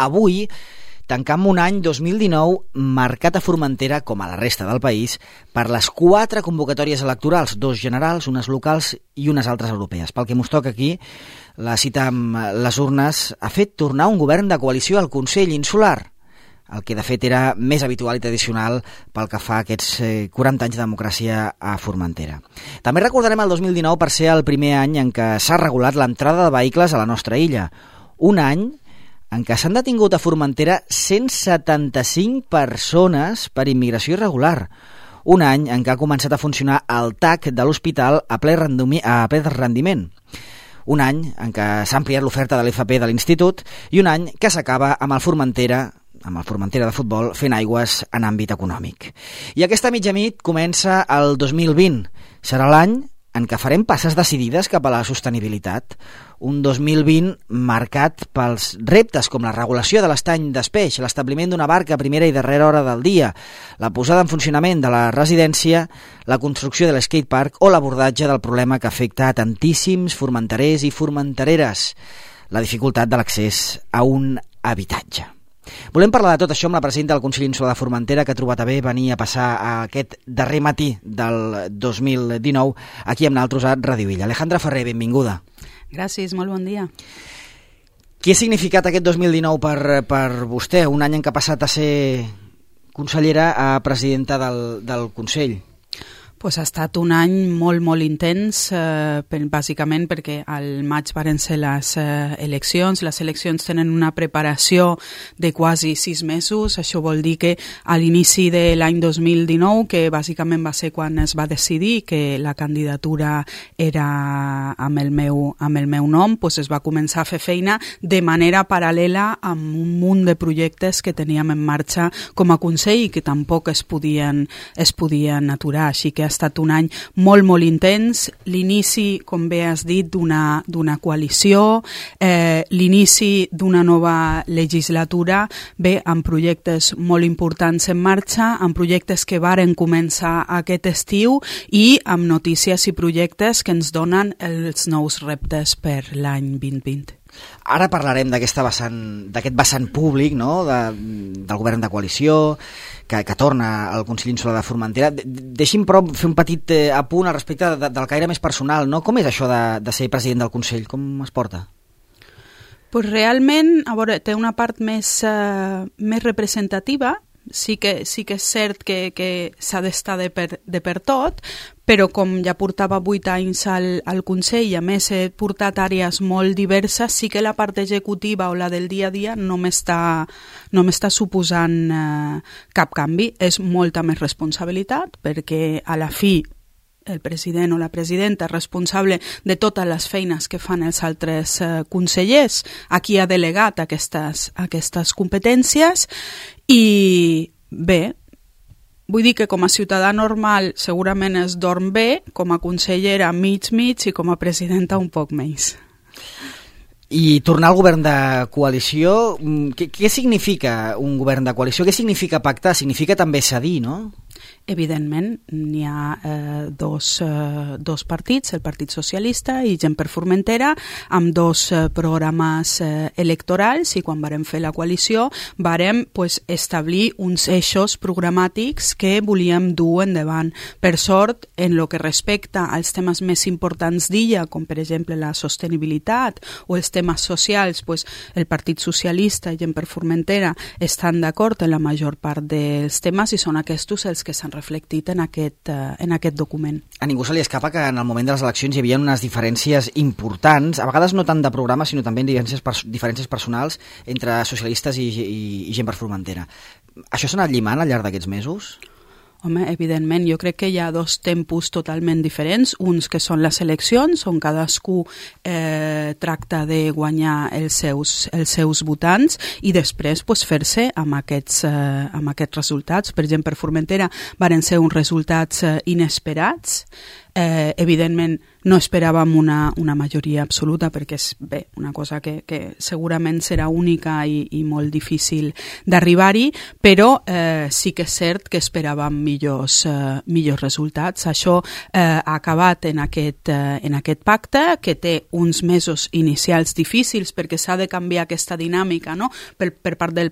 avui tancam un any 2019 marcat a Formentera, com a la resta del país, per les 4 convocatòries electorals, 2 generals, unes locals i unes altres europees. Pel que mos toca aquí, la cita amb les urnes ha fet tornar un govern de coalició al Consell Insular, el que de fet era més habitual i tradicional pel que fa a aquests 40 anys de democràcia a Formentera. També recordarem el 2019 per ser el primer any en què s'ha regulat l'entrada de vehicles a la nostra illa. Un any en què s'han detingut a Formentera 175 persones per immigració irregular. Un any en què ha començat a funcionar el TAC de l'hospital a ple rendiment. Un any en què s'ha ampliat l'oferta de l'FP de l'Institut i un any que s'acaba amb el Formentera de futbol fent aigües en àmbit econòmic. I aquesta mitjanit comença el 2020. Serà l'any en què farem passes decidides cap a la sostenibilitat. Un 2020 marcat pels reptes com la regulació de l'estany d'Espeix, l'establiment d'una barca a primera i darrera hora del dia, la posada en funcionament de la residència, la construcció de l'skatepark o l'abordatge del problema que afecta a tantíssims formenterers i formentereres, la dificultat de l'accés a un habitatge. Volem parlar de tot això amb la presidenta del Consell Insular de Formentera, que ha trobat a bé venir a passar aquest darrer matí del 2019 aquí amb nosaltres a Ràdio Illa. Alejandra Ferrer, benvinguda. Gràcies, molt bon dia. Què ha significat aquest 2019 per vostè? Un any en què ha passat a ser consellera a presidenta del Consell. Pues ha estat un any molt intens, bàsicament perquè al maig varen ser les eleccions. Les eleccions tenen una preparació de quasi 6 mesos. Això vol dir que a l'inici de l'any 2019, que bàsicament va ser quan es va decidir que la candidatura era amb el meu nom, pues es va començar a fer feina de manera paral·lela amb un munt de projectes que teníem en marxa com a Consell i que tampoc es podien aturar. Així que ha estat un any molt intens, l'inici, com bé has dit, d'una coalició, l'inici d'una nova legislatura, bé, amb projectes molt importants en marxa, amb projectes que varen començar aquest estiu i amb notícies i projectes que ens donen els nous reptes per l'any 2020. Ara parlarem d'aquest vessant públic, no? Del govern de coalició que torna al Consell Insular de Formentera. Deixi'm però fer un petit apunt al respecte del caire més personal, no? Com és això de ser president del Consell? Com es porta? Pues realment, a veure, té una part més representativa. Sí que és cert que s'ha d'estar de per tot, però com ja portava 8 anys al Consell i a més he portat àrees molt diverses, sí que la part executiva o la del dia a dia no m'està suposant cap canvi. És molta més responsabilitat perquè a la fi el president o la presidenta és responsable de totes les feines que fan els altres consellers, a qui ha delegat aquestes competències. I bé, vull dir que com a ciutadà normal segurament es dorm bé, com a consellera mig i com a presidenta un poc menys. I tornar al govern de coalició, què significa un govern de coalició? Què significa pactar? Significa també cedir, no? Evidentment, n'hi ha dos partits, el Partit Socialista i Gent per Formentera, amb 2 programes electorals, i quan vàrem fer la coalició vàrem establir uns eixos programàtics que volíem dur endavant. Per sort, en el que respecta als temes més importants d'illa, com per exemple la sostenibilitat o els temes socials, el Partit Socialista i Gent per Formentera estan d'acord en la major part dels temes i són aquests els que s'han reflectit en aquest document. A ningú se li escapa que en el moment de les eleccions hi havia unes diferències importants, a vegades no tant de programa, sinó també diferències personals entre socialistes i Gent per Formentera. Això s'ha anat llimant al llarg d'aquests mesos? Home, evidentment, jo crec que hi ha 2 tempos totalment diferents, uns que són les eleccions, on cadascú tracta de guanyar els seus votants i després fer-se amb aquests resultats. Per exemple, per Formentera varen ser uns resultats inesperats, Evidentment no esperàvem una majoria absoluta perquè és una cosa que segurament serà única i molt difícil d'arribar-hi, però sí que és cert que esperàvem millors resultats. Això ha acabat en aquest pacte, que té uns mesos inicials difícils perquè s'ha de canviar aquesta dinàmica, no? per part del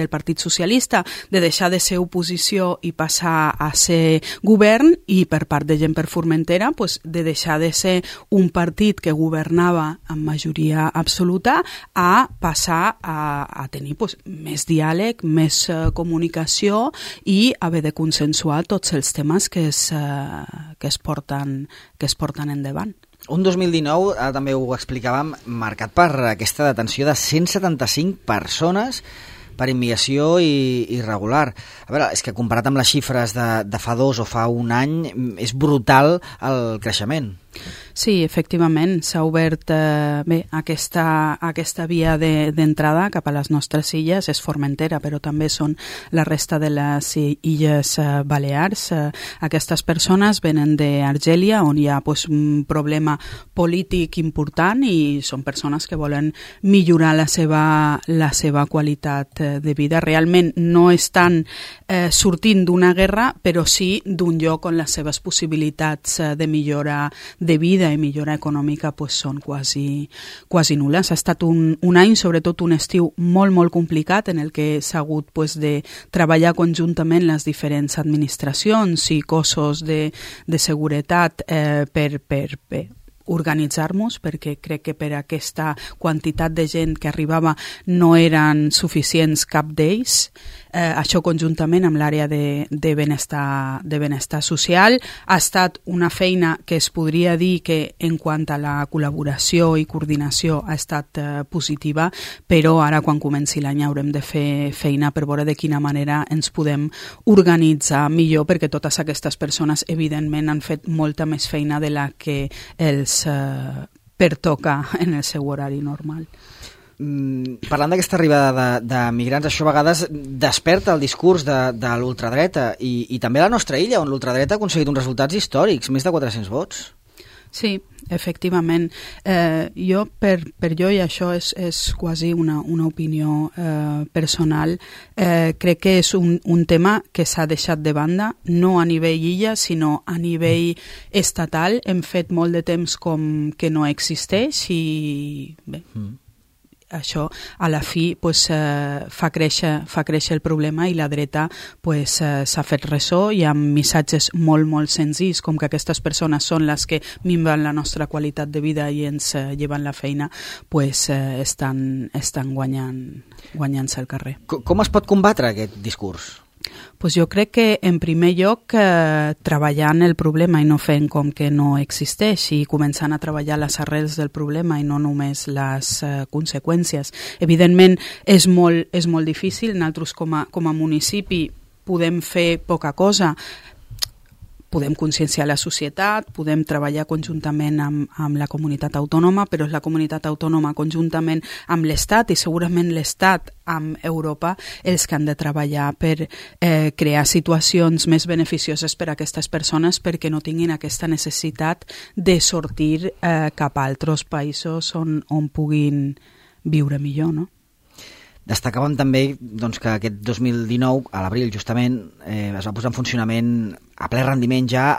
Partit Socialista, de deixar de ser oposició i passar a ser govern, i per part de Gent per Formentera de deixar de ser un partit que governava amb majoria absoluta a passar a tenir més diàleg, més comunicació i haver de consensuar tots els temes que es porten endavant. Un 2019, també ho explicàvem, marcat per aquesta detenció de 175 persones per immigració irregular. A veure, és que comparat amb les xifres de fa 2 o fa un any, és brutal el creixement. Sí, efectivament, s'ha obert aquesta via d'entrada cap a les nostres illes, és Formentera, però també són la resta de les illes Balears. Aquestes persones venen d'Argèlia, on hi ha un problema polític important, i són persones que volen millorar la seva qualitat de vida. Realment no estan sortint d'una guerra, però sí d'un lloc on les seves possibilitats de millora de vida i millora econòmica són quasi nul·les. Ha estat un any, sobretot un estiu molt, molt complicat, en el que s'ha hagut de treballar conjuntament les diferents administracions i cossos de seguretat per organitzar-nos, perquè crec que per aquesta quantitat de gent que arribava no eren suficients cap d'ells. Això conjuntament amb l'àrea de benestar social ha estat una feina que es podria dir que en quant a la col·laboració i coordinació ha estat positiva, però ara quan comenci l'any haurem de fer feina per veure de quina manera ens podem organitzar millor, perquè totes aquestes persones evidentment han fet molta més feina de la que els pertoca en el seu horari normal. Parlant d'aquesta arribada de migrants, això a vegades desperta el discurs de l'ultradreta i també a la nostra illa, on l'ultradreta ha aconseguit uns resultats històrics, més de 400 vots. Sí, efectivament. Per jo, i això és quasi una opinió personal, crec que és un tema que s'ha deixat de banda, no a nivell illa, sinó a nivell estatal. Hem fet molt de temps com que no existeix i bé, això a la fi fa créixer el problema, i la dreta s'ha fet ressò, i amb missatges molt, molt senzills, com que aquestes persones són les que minven la nostra qualitat de vida i ens lleven la feina, estan guanyant-se al carrer. Com es pot combatre aquest discurs? Jo crec que en primer lloc treballant el problema i no fent com que no existeix, i començant a treballar les arrels del problema i no només les conseqüències. Evidentment és molt difícil. Nosaltres com a municipi podem fer poca cosa. Podem conscienciar la societat, podem treballar conjuntament amb la comunitat autònoma, però és la comunitat autònoma conjuntament amb l'Estat, i segurament l'Estat amb Europa, els que han de treballar per crear situacions més beneficioses per a aquestes persones, perquè no tinguin aquesta necessitat de sortir cap a altres països on puguin viure millor, no? Destacàvem també que aquest 2019, a l'abril justament, es va posar en funcionament a ple rendiment ja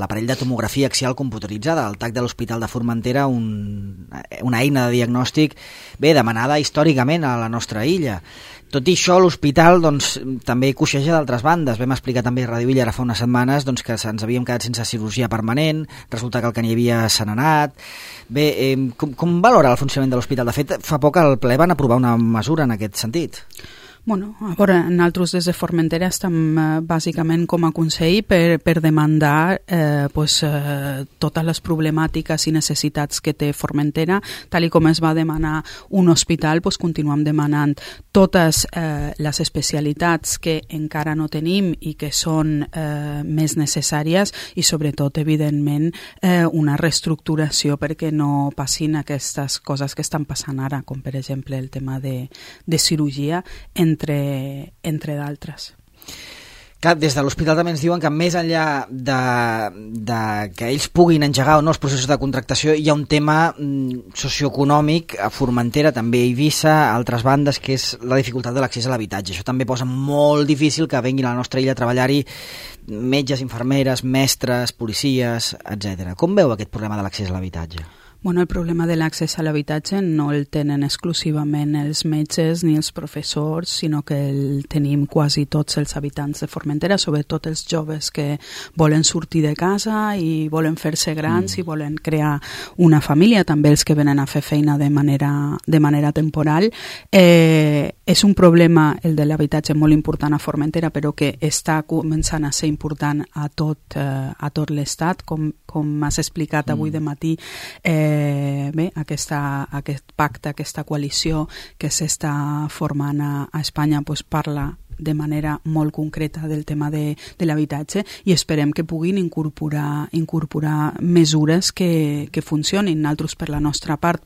l'aparell de tomografia axial computeritzada, el TAC de l'Hospital de Formentera, una eina de diagnòstic demanada històricament a la nostra illa. Tot i això, l'hospital també coixeja d'altres bandes. Vam explicar també a Ràdio Illa ara fa unes setmanes que ens havíem quedat sense cirurgia permanent, resulta que el que n'hi havia s'ha anat. Com valora el funcionament de l'hospital? De fet, fa poc al ple van aprovar una mesura en aquest sentit. A veure, nosaltres des de Formentera estem bàsicament com a Consell per demandar totes les problemàtiques i necessitats que té Formentera. Tal com es va demanar un hospital, continuem demanant totes les especialitats que encara no tenim i que són més necessàries, i sobretot, evidentment, una reestructuració perquè no passin aquestes coses que estan passant ara, com per exemple el tema de cirurgia, entre d'altres. Clar, des de l'hospital també ens diuen que més enllà de que ells puguin engegar o no els processos de contractació, hi ha un tema socioeconòmic a Formentera, també a Eivissa, a altres bandes, que és la dificultat de l'accés a l'habitatge. Això també posa molt difícil que venguin a la nostra illa a treballar-hi metges, infermeres, mestres, policies, etc. Com veu aquest problema de l'accés a l'habitatge? Bueno, el problema de l'accés a l'habitatge no el tenen exclusivament els metges ni els professors, sinó que el tenim quasi tots els habitants de Formentera, sobretot els joves que volen sortir de casa i volen fer-se grans i volen crear una família, també els que venen a fer feina de manera temporal. És un problema, el de l'habitatge, molt important a Formentera, però que està començant a ser important a tot l'Estat, com m'has explicat avui de matí. Bé, aquest pacte, aquesta coalició que s'està formant a Espanya parla de manera molt concreta del tema de l'habitatge i esperem que puguin incorporar mesures que funcionin. Nosaltres, per la nostra part,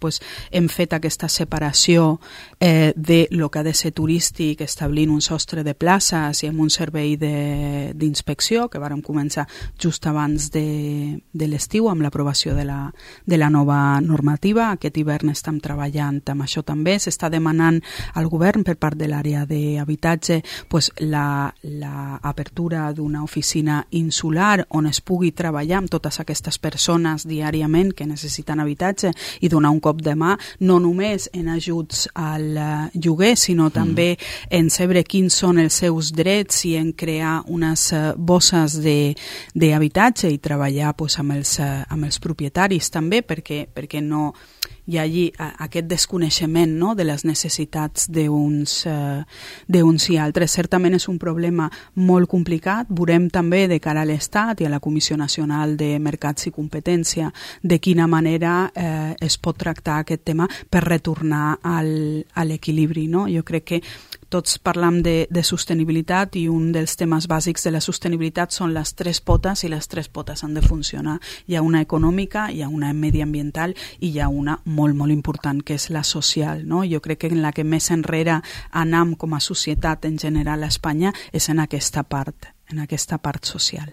hem fet aquesta separació de lo que ha de ser turístic, establint un sostre de places i amb un servei d'inspecció que vàrem començar just abans de l'estiu amb l'aprovació de la nova normativa. Aquest hivern estem treballant amb això també. S'està demanant al govern per part de l'àrea d'habitatge l'apertura d'una oficina insular on es pugui treballar amb totes aquestes persones diàriament que necessiten habitatge i donar un cop de mà, no només en ajuts al lloguer, sinó també en saber quins són els seus drets i en crear unes bosses d'habitatge i treballar amb els propietaris també, perquè no hi ha allí aquest desconeixement, no?, de les necessitats d'uns i altres. Certament és un problema molt complicat. Veurem també de cara a l'Estat i a la Comissió Nacional de Mercats i Competència de quina manera es pot tractar aquest tema per retornar a l'equilibri, no? Jo crec que tots parlam de sostenibilitat i un dels temes bàsics de la sostenibilitat són les tres potes i les tres potes han de funcionar. Hi ha una econòmica, hi ha una mediambiental i hi ha una molt, molt important que és la social, no? Jo crec que en la que més enrere anam com a societat en general a Espanya és en aquesta part social.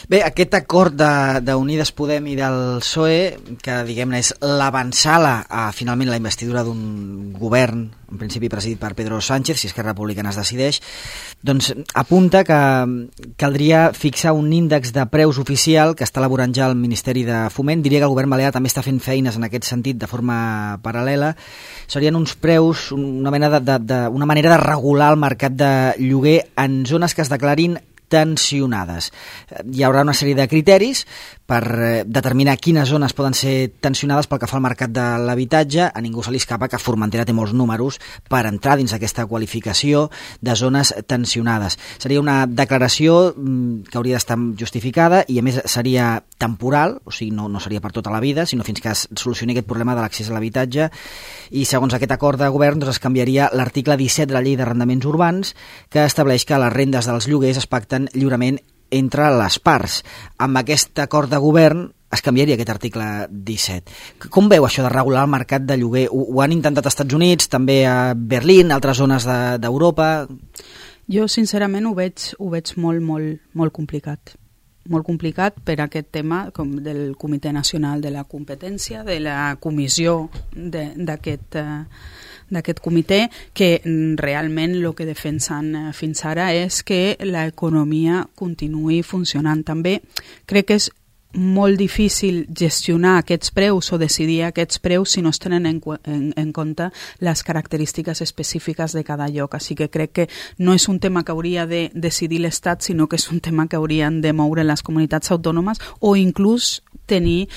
Bé, aquest acord d'Unides Podem i del PSOE, que diguem-ne és l'avançala a finalment la investidura d'un govern, en principi presidit per Pedro Sánchez, si Esquerra Republicana es decideix, doncs apunta que caldria fixar un índex de preus oficial que està elaborant ja el Ministeri de Foment. Diria que el govern balear també està fent feines en aquest sentit de forma paral·lela. Serien uns preus, una manera de regular el mercat de lloguer en zones que es declarin tensionades. Hi haurà una sèrie de criteris per determinar quines zones poden ser tensionades pel que fa al mercat de l'habitatge. A ningú se li escapa que Formentera té molts números per entrar dins aquesta qualificació de zones tensionades. Seria una declaració que hauria d'estar justificada i a més seria temporal, o sigui, no seria per tota la vida, sinó fins que es solucioni aquest problema de l'accés a l'habitatge, i segons aquest acord de govern doncs, es canviaria l'article 17 de la Llei d'Arrendaments Urbans, que estableix que les rendes dels lloguers es pacten lliurement entre les parts. Amb aquest acord de govern es canviaria aquest article 17. Com veu això de regular el mercat de lloguer? Ho han intentat als Estats Units, també a Berlín, altres zones d'Europa? Jo, sincerament, ho veig molt, molt, molt complicat. Molt complicat per aquest tema com del Comitè Nacional de la Competència, de la comissió d'aquest comitè, que realment el que defensen fins ara és que l'economia continuï funcionant. També crec que és molt difícil gestionar aquests preus o decidir aquests preus si no es tenen en compte les característiques específiques de cada lloc. Així que crec que no és un tema que hauria de decidir l'Estat, sinó que és un tema que haurien de moure les comunitats autònomes o inclús tenir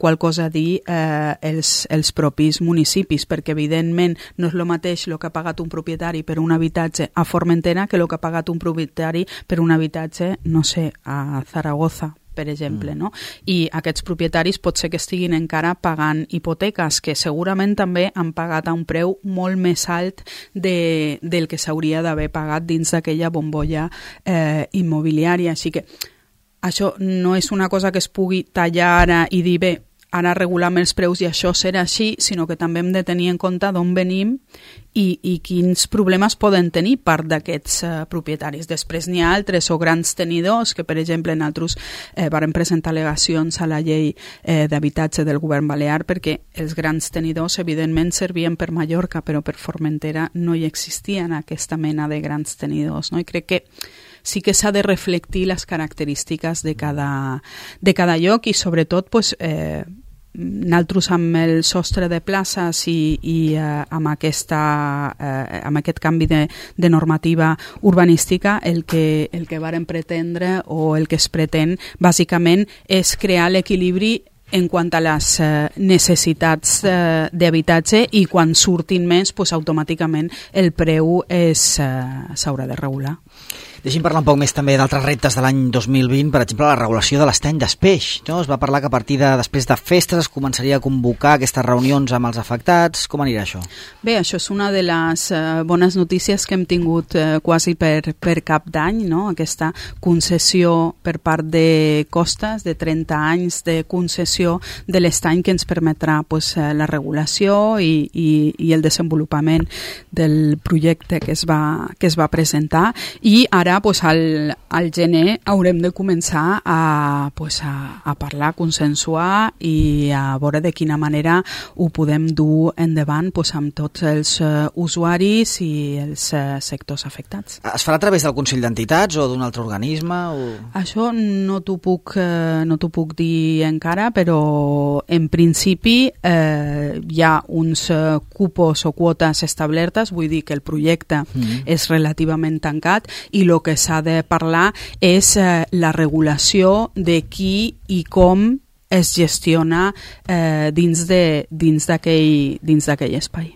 qualcosa a dir els propis municipis, perquè evidentment no és el mateix el que ha pagat un propietari per un habitatge a Formentera que el que ha pagat un propietari per un habitatge, no sé, a Zaragoza, per exemple, no? I aquests propietaris pot ser que estiguin encara pagant hipoteques que segurament també han pagat a un preu molt més alt del que s'hauria d'haver pagat dins d'aquella bombolla immobiliària. Així que això no és una cosa que es pugui tallar ara i dir, bé, ara regulam els preus i això serà així, sinó que també hem de tenir en compte d'on venim i quins problemes poden tenir part d'aquests propietaris. Després n'hi ha altres o grans tenidors que, per exemple, nosaltres varen presentar al·legacions a la llei d'habitatge del govern balear perquè els grans tenidors evidentment servien per Mallorca, però per Formentera no hi existien aquesta mena de grans tenidors, no? I crec que sí que s'ha de reflectir les característiques de cada lloc i sobretot pues, nosaltres amb el sostre de places i amb aquest canvi de normativa urbanística el que varen pretendre o el que es pretén bàsicament és crear l'equilibri en quant a les necessitats d'habitatge i quan surtin més, pues, automàticament el preu s'haurà de regular. Deixi'm parlar un poc més també d'altres reptes de l'any 2020, per exemple, la regulació de l'estany d'Espeix. No? Es va parlar que a partir després de festes es començaria a convocar aquestes reunions amb els afectats. Com anirà això? Bé, això és una de les bones notícies que hem tingut quasi per cap d'any, no? Aquesta concessió per part de Costes, de 30 anys de concessió de l'estany que ens permetrà pues, la regulació i el desenvolupament del projecte que es va presentar i ara pues, al gener haurem de començar a parlar, a consensuar i a veure de quina manera ho podem dur endavant pues, amb tots els usuaris i els sectors afectats. Es farà a través del Consell d'Entitats o d'un altre organisme? O... Això no t'ho puc dir encara, però en principi hi ha uns cupos o quotes establertes, vull dir que el projecte és relativament tancat i el que s'ha de parlar és la regulació de qui i com es gestiona dins d'aquell espai.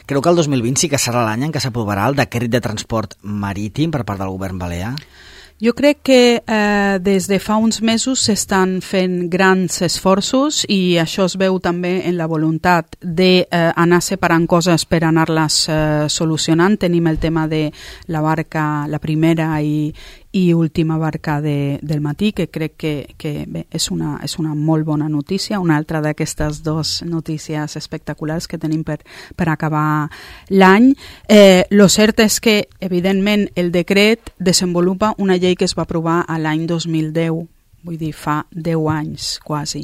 Creu que el 2020 sí que serà l'any en què s'aprovarà el decret de transport marítim per part del govern balear? Jo crec que des de fa uns mesos s'estan fent grans esforços i això es veu també en la voluntat d'anar separant coses per anar-les solucionant. Tenim el tema de la barca, la primera i última barca del matí, que crec que bé, és una molt bona notícia, una altra d'aquestes dues notícies espectaculars que tenim per acabar l'any. Lo cert és que, evidentment, el decret desenvolupa una llei que es va aprovar a l'any 2010, vull dir, fa 10 anys quasi.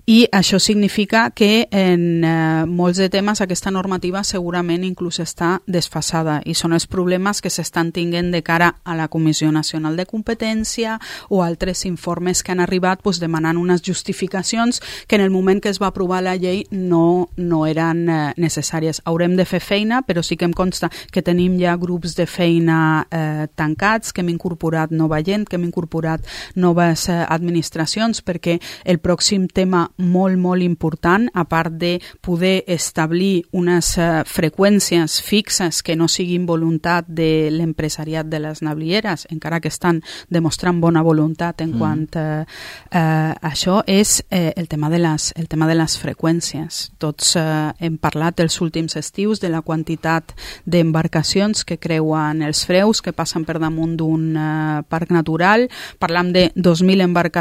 I això significa que en molts de temes aquesta normativa segurament inclús està desfasada i són els problemes que s'estan tinguent de cara a la Comissió Nacional de Competència o altres informes que han arribat pues, demanant unes justificacions que en el moment que es va aprovar la llei no eren necessàries. Haurem de fer feina, però sí que em consta que tenim ja grups de feina tancats, que hem incorporat nova gent, que hem incorporat noves administracions, perquè el pròxim tema molt, molt important, a part de poder establir unes freqüències fixes que no siguin voluntat de l'empresariat de les navilieres, encara que estan demostrant bona voluntat en quant a això, és el tema de les freqüències. Tots hem parlat els últims estius de la quantitat d'embarcacions que creuen els freus, que passen per damunt d'un parc natural. Parlam de 2.000 embarcacions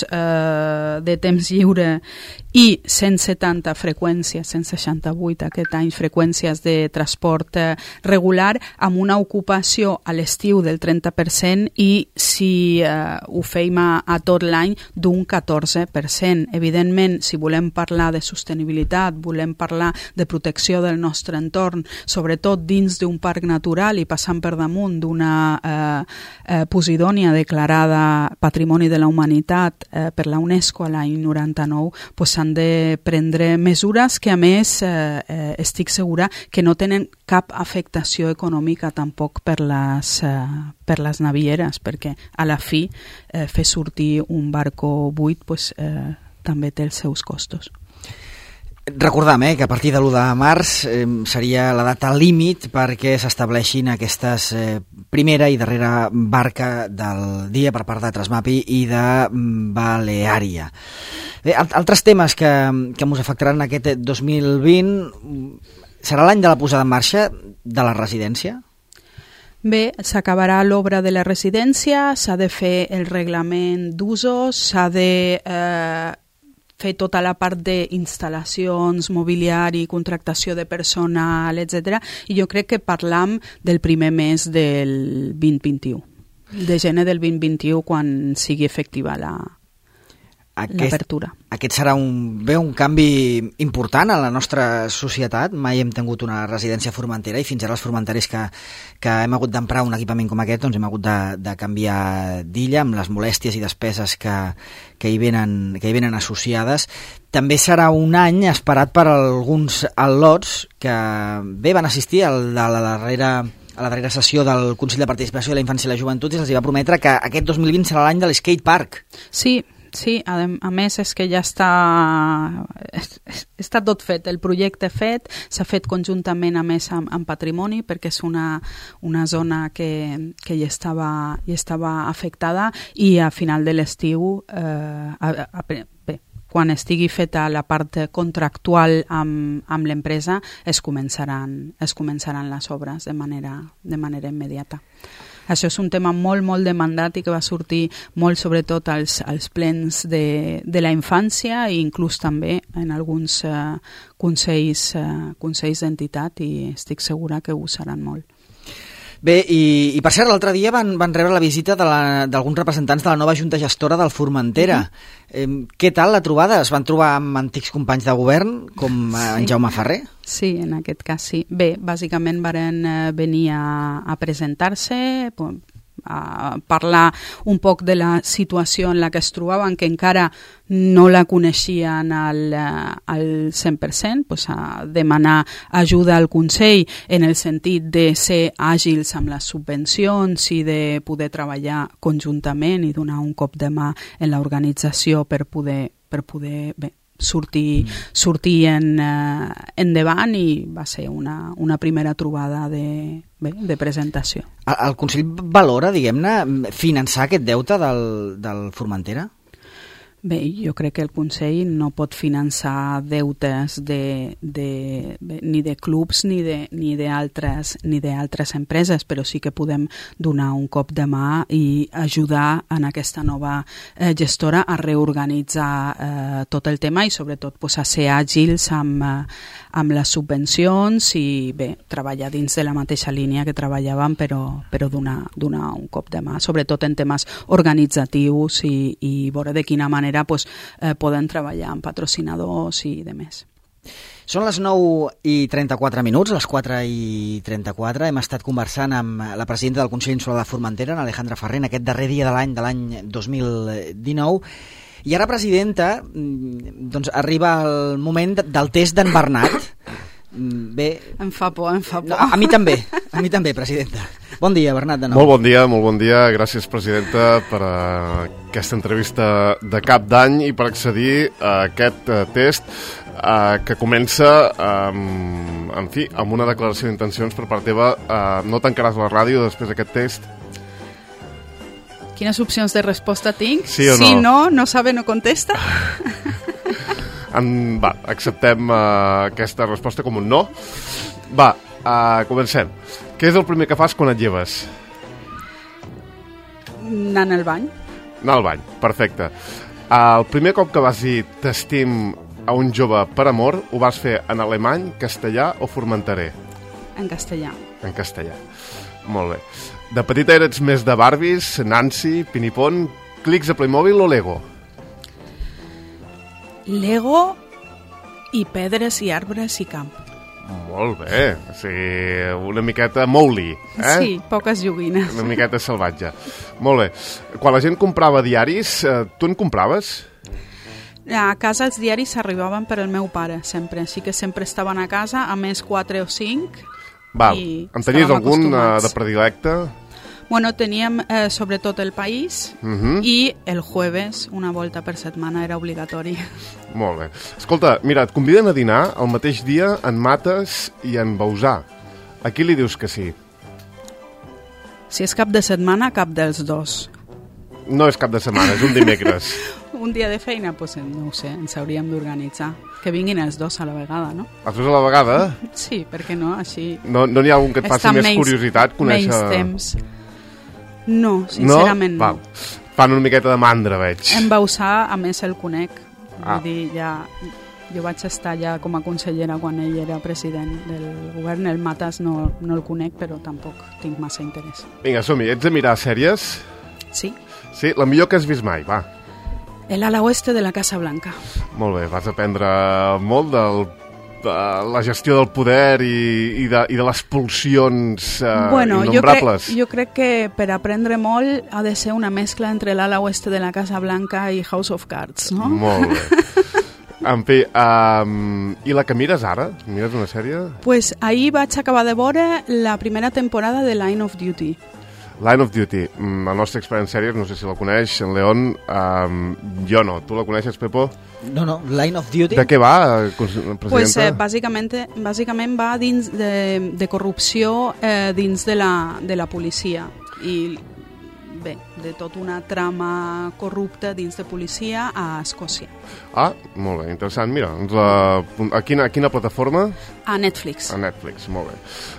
de temps lliure i 170 freqüències, 168 aquest any, freqüències de transport regular, amb una ocupació a l'estiu del 30% i si ho feim a tot l'any d'un 14%. Evidentment, si volem parlar de sostenibilitat, volem parlar de protecció del nostre entorn, sobretot dins d'un parc natural i passant per damunt d'una Posidònia declarada Patrimoni de la Humanitat per la UNESCO a l'any 99, doncs s'han de prendre mesures que a més estic segura que no tenen cap afectació econòmica tampoc per les navieres, perquè a la fi fer sortir un barco buit també té els seus costos. Recordam que a partir de l'1 de març seria la data límit perquè s'estableixin aquestes primera i darrera barca del dia per part de Trasmapi i de Baleària. Bé, altres temes que ens afectaran aquest 2020 serà l'any de la posada en marxa de la residència? Bé, s'acabarà l'obra de la residència, s'ha de fer el reglament d'usos, s'ha de fer tota la part d'instal·lacions, mobiliari, contractació de personal, etc. I jo crec que parlam del primer mes del 2021, de gener del 2021, quan sigui efectiva l'apertura. Aquest serà un canvi important a la nostra societat. Mai hem tingut una residència formentera i fins ara els formentaris que hem hagut d'emprar un equipament com aquest doncs hem hagut de canviar d'illa amb les molèsties i despeses que hi venen associades. També serà un any esperat per alguns al·lots que bé van assistir a la darrera sessió del Consell de Participació de la Infància i la Joventut i se'ls va prometre que aquest 2020 serà l'any de l'skate park. Sí, a més és que ja està tot fet, el projecte fet, s'ha fet conjuntament a més amb Patrimoni perquè és una zona que ja estava afectada i a final de l'estiu, quan estigui feta la part contractual amb l'empresa, es començaran les obres de manera immediata. Això és un tema molt, molt demandat i que va sortir molt sobretot als plens de la infància i inclús també en alguns consells d'entitat i estic segura que ho seran molt. Bé, i per cert, l'altre dia van rebre la visita d'alguns representants de la nova Junta Gestora del Formentera. Què tal la trobada? Es van trobar amb antics companys de govern, com en Jaume Ferrer? Sí, en aquest cas sí. Bé, bàsicament varen venir a presentar-se, a parlar un poc de la situació en la que es trobaven, que encara no la coneixien al 100%, doncs a demanar ajuda al Consell en el sentit de ser àgils amb les subvencions i de poder treballar conjuntament i donar un cop de mà en l'organització per poder sortir endavant i va ser una primera trobada de presentació. El Consell valora, diguem-ne, finançar aquest deute del Formentera? Bé, jo crec que el Consell no pot finançar deutes ni de clubs ni d'altres empreses, però sí que podem donar un cop de mà i ajudar en aquesta nova gestora a reorganitzar tot el tema i sobretot a ser àgils amb les subvencions i bé, treballar dins de la mateixa línia que treballàvem, però donar un cop de mà, sobretot en temes organitzatius i veure de quina manera poden treballar amb patrocinadors i demés. Són les 9:34, les 4:34. Hem estat conversant amb la presidenta del Consell Insular de Formentera, Alejandra Ferrer, en aquest darrer dia de l'any 2019. I ara, presidenta, doncs arriba el moment del test d'en Bernat. Bé, em fa por. No, a mi també, presidenta. Bon dia, Bernat, de nou. Molt bon dia. Gràcies, presidenta, per aquesta entrevista de cap d'any i per accedir a aquest test que comença, amb una declaració d'intencions per part teva. No tancaràs la ràdio després d'aquest test? Quines opcions de resposta tinc? Sí o no? Si no sabe, no contesta. Va, acceptem aquesta resposta com un no. Va, comencem. Què és el primer que fas quan et lleves? Anant al bany. Anar al bany, perfecte. El primer cop que vas dir t'estim a un jove per amor, ho vas fer en alemany, castellà o formenterè? En castellà. En castellà. Molt bé. De petita eres més de Barbies, Nancy, Pinipon, clics a Playmobil o Lego? Lego i pedres i arbres i camp. Molt bé, o sigui, una miqueta Mowgli, Sí, poques joguines. Una miqueta salvatge. Molt bé. Quan la gent comprava diaris, tu en compraves? A casa els diaris arribaven per al meu pare, sempre. Així que sempre estaven a casa, a més 4 o 5. Val. En tenies algun de predilecte? Bueno, teníem sobretot El País i el jueves, una volta per setmana, era obligatori. Molt bé. Escolta, mira, et conviden a dinar el mateix dia en Mates i en Bausà. A qui li dius que sí? Si és cap de setmana, cap dels dos. No és cap de setmana, és un dimecres. Un dia de feina? Doncs no ho sé, ens hauríem d'organitzar. Que vinguin els dos a la vegada, no? Els dos a la vegada? Sí, per què no? Així... No n'hi ha algun que et faci més curiositat conèixer... Menys temps. No, sincerament no. Fan una miqueta de mandra, veig. En Bausà, a més, el conec. Vull dir, jo vaig estar ja com a consellera quan ell era president del govern. El Matas no el conec, però tampoc tinc massa interès. Vinga, som-hi. Ets de mirar sèries? Sí. Sí, la millor que has vist mai, va. El ala oeste de la Casa Blanca. Molt bé, vas aprendre molt de la gestió del poder i de les pulsions innombrables. Jo crec que per aprendre molt ha de ser una mescla entre l'ala oeste de la Casa Blanca i House of Cards, no? Molt bé. En fi, i la que mires ara? Mires una sèrie? Pues ahir vaig acabar de veure la primera temporada de Line of Duty. Line of Duty, el nostre expert en sèries, no sé si la coneix, en León, jo no. Tu la coneixes, Pepo? No, Line of Duty. De què va, presidenta? Pues, bàsicament va dins de corrupció dins de la policia i bé, de tota una trama corrupta dins de policia a Escòcia. Ah, molt bé, interessant. Mira, a quina plataforma? A Netflix. A Netflix, molt bé.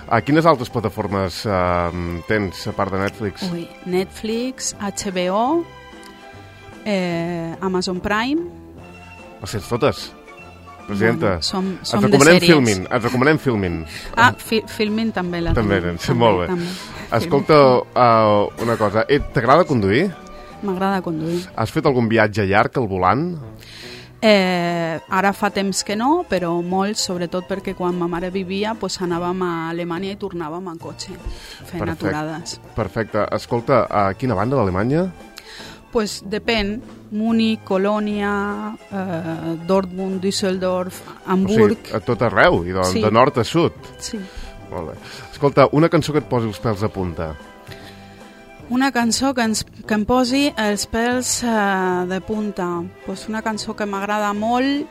A quines altres plataformes tens, a part de Netflix? Netflix, HBO, Amazon Prime... Les tens totes, presidenta? Som de sèries. Ens recomanem Filmin. Filmin també la també, tenim. Sí, molt bé. També. Escolta, una cosa, t'agrada conduir? M'agrada conduir. Has fet algun viatge llarg al volant? Ara fa temps que no, però molt, sobretot perquè quan ma mare vivia anàvem a Alemanya i tornàvem en cotxe, fent aturades. Perfecte. Escolta, a quina banda d'Alemanya? Pues depèn. Múnich, Colònia, Dortmund, Düsseldorf, Hamburg... O sigui, a tot arreu, i de nord a sud. Sí. Molt bé. Escolta, una cançó que et posi els pèls de punta. Una cançó que em posi els pèls de punta. Pues una cançó que m'agrada molt,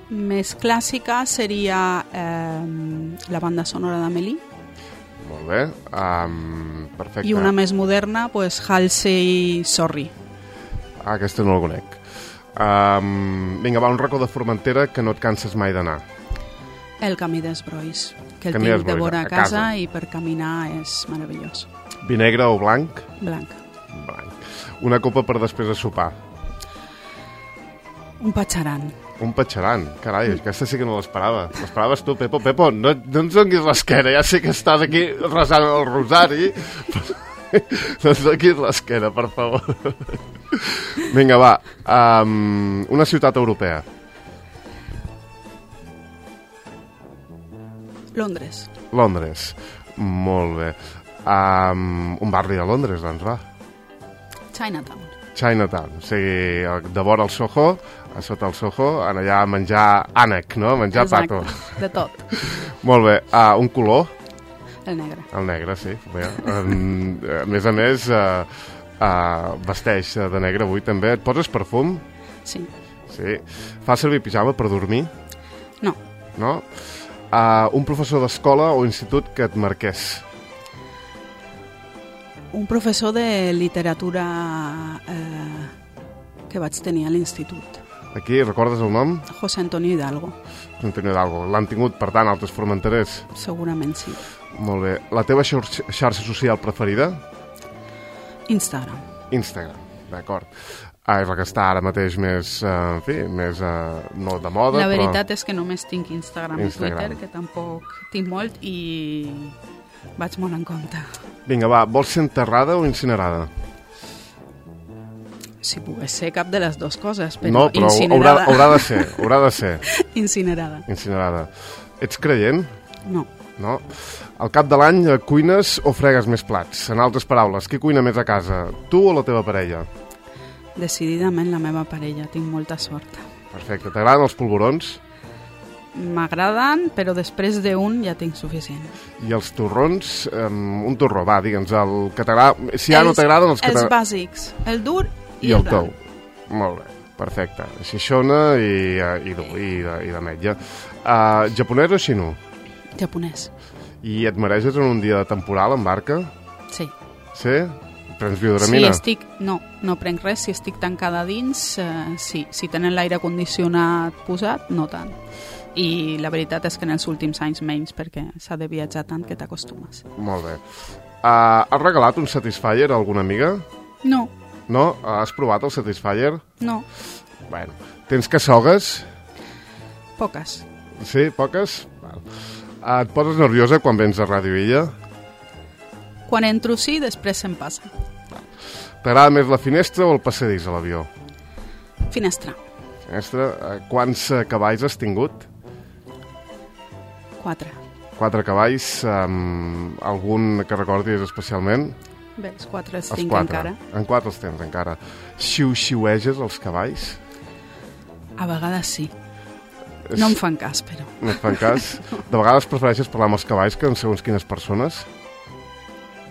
més clàssica, seria la banda sonora d'Amélie. Molt bé, perfecte. I una més moderna, pues Halsey Sorry. Aquesta no la conec. Vinga, va, un racó de Formentera que no et canses mai d'anar. El Camí d'Esbrois, que el tinc de vora a casa i per caminar és meravellós. Vi negre o blanc? Blanc. Una copa per després de sopar? Un patxaran. Un patxaran, carai, aquesta sí que no l'esperava. L'esperaves tu, Pepo? Pepo, no ens donguis l'esquena, ja sé que estàs aquí resant el rosari, no ens donguis l'esquena, per favor. Vinga, va, una ciutat europea. Londres. Londres, molt bé. Un barri de Londres, doncs, va. Chinatown, o sigui, de vora el Soho, a sota el Soho, allà a menjar ànec, no? A menjar pato. Exacte, de tot. Molt bé. Un color? El negre. El negre, sí. Bé. A més, vesteix de negre avui també. Et poses perfum? Sí. Sí. Fa servir pijama per dormir? No. No? Un professor d'escola o institut que et marqués? Un professor de literatura que vaig tenir a l'institut. Aquí, recordes el nom? José Antonio Hidalgo. José Antonio Hidalgo. L'han tingut, per tant, altres formenterers? Segurament sí. Molt bé. La teva xarxa social preferida? Instagram. Instagram, d'acord. És la que està ara mateix més, en fi, més no de moda, La veritat és que només tinc Instagram i Instagram. Twitter, que tampoc tinc molt i vaig molt en compte. Vinga, va, vols ser enterrada o incinerada? Si pogués ser cap de les dues coses, però, no, però incinerada. haurà de ser. Incinerada. Incinerada. Ets creient? No. No? Al cap de l'any cuines o fregues més plats? En altres paraules, qui cuina més a casa? Tu o la teva parella? Decididament la meva parella, tinc molta sort. Perfecte. T'agraden els polvorons? M'agraden, però després d'un ja tinc suficient. I els torrons? Un torró, va, digue'ns, el que t'agrada... Si ja no t'agraden els que Els bàsics, el dur i el tou. Molt bé, perfecte. Xixona i d'ametlla. Japonès o xinú? Japonès. I et mareges en un dia de temporal en barca? Sí. Sí? Prens biodramina? No prenc res. Si estic tancada dins, sí. Si tenen l'aire condicionat posat, no tant. I la veritat és que en els últims anys menys, perquè s'ha de viatjar tant que t'acostumes. Molt bé. Has regalat un Satisfyer a alguna amiga? No. No? Has provat el Satisfyer? No. Bueno, tens cassogues? Poques. Sí, poques? Val. Et poses nerviosa quan vens a Ràdio Illa? Quan entro sí, després se'm passa. T'agrada més la finestra o el passadís a l'avió? Finestra. Finestra. Quants cavalls has tingut? 4. 4 cavalls. Algun que recordis especialment? Bé, els 4 els Els tinc 4. encara. En 4 els tens encara. Xiu-xiueges els cavalls? A vegades sí. No em fan cas, però. No et fan cas? De vegades prefereixes parlar amb els cavalls que amb segons quines persones?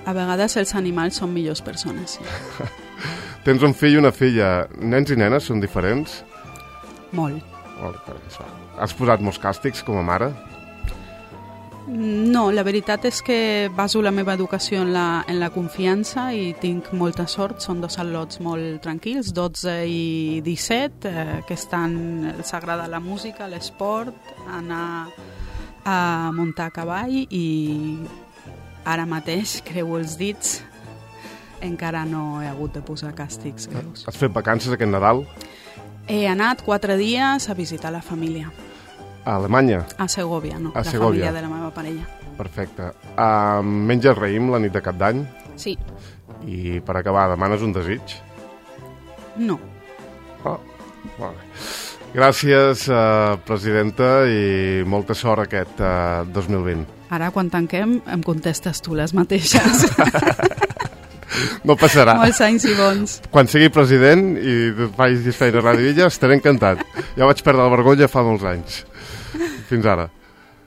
A vegades els animals són millors persones, sí. Tens un fill i una filla. Nens i nenes són diferents? Molt. Has posat molts càstigs com a mare? No, la veritat és que baso la meva educació en la confiança i tinc molta sort. Són 2 al·lots molt tranquils, 12 i 17, que els agrada la música, l'esport, anar a muntar a cavall i ara mateix, creu els dits, encara no he hagut de posar càstigs greus. Has fet vacances aquest Nadal? He anat 4 dies a visitar la família. A Alemanya? A Segovia, no. A la Segovia. família de la meva parella. Perfecte. Menges raïm la nit de Cap d'Any? Sí. I per acabar, demanes un desig? No. Oh, molt bé. Gràcies, presidenta, i molta sort aquest 2020. Ara, quan tanquem, em contestes tu les mateixes. No passarà. Molts anys i bons. Quan sigui president i facis feina a Ràdio Illa, estaré encantat. Ja vaig perdre la vergonya fa molts anys. Fins ara.